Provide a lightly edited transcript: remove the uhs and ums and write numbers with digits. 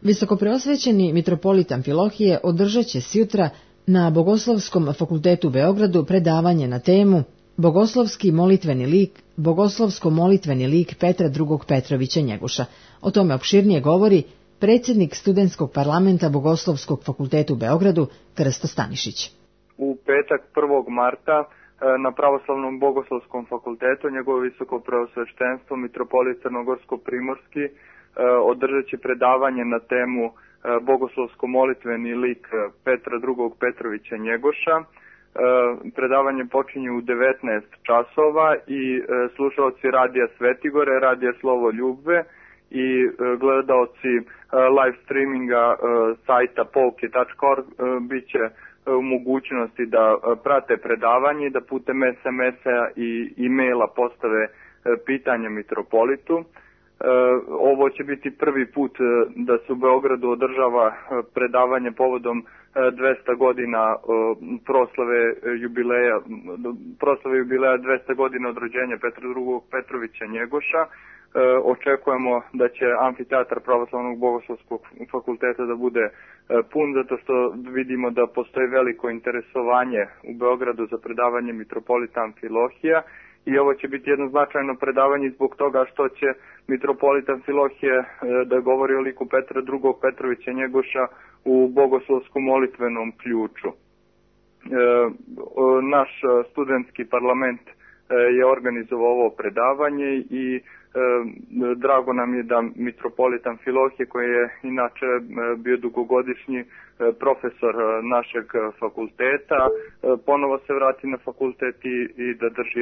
Visokopreosvećeni mitropolit Amfilohije održat će sjutra na Bogoslovskom fakultetu u Beogradu predavanje na temu Bogoslovsko-molitveni lik Petra II. Petrovića Njegoša. O tome opširnije govori predsjednik studentskog parlamenta Bogoslovskog fakulteta u Beogradu Krsto Stanišić. U petak 1. marta na Pravoslavnom Bogoslovskom fakultetu njegovo visoko preosveštenstvo mitropolit Crnogorsko-primorski održat će predavanje na temu Bogoslovsko-molitveni lik Petra II. Petrovića Njegoša. Predavanje počinje u 19 časova i slušaoci Radija Svetigore, Radija Slovo Ljubve i gledaoci live streaminga sajta polke.org bit će u mogućnosti da prate predavanje i da putem SMS-a i e-maila postave pitanja mitropolitu. Ovo će biti prvi put da se u Beogradu održava predavanje povodom 200 godina proslave jubileja 200 godina od rođenja Petra II. Petrovića Njegoša. Očekujemo da će amfiteatar Pravoslavnog Bogoslovskog fakulteta da bude pun, zato što vidimo da postoji veliko interesovanje u Beogradu za predavanje mitropolita Amfilohija. I ovo će biti jedno značajno predavanje zbog toga što će mitropolit Amfilohije da govori o liku Petra II. Petrovića Njegoša u bogoslovskom molitvenom ključu. Naš studentski parlament je organizovao ovo predavanje i drago nam je da mitropolit Amfilohije, koji je inače bio dugogodišnji profesor našeg fakulteta, ponovo se vrati na fakultet i da drži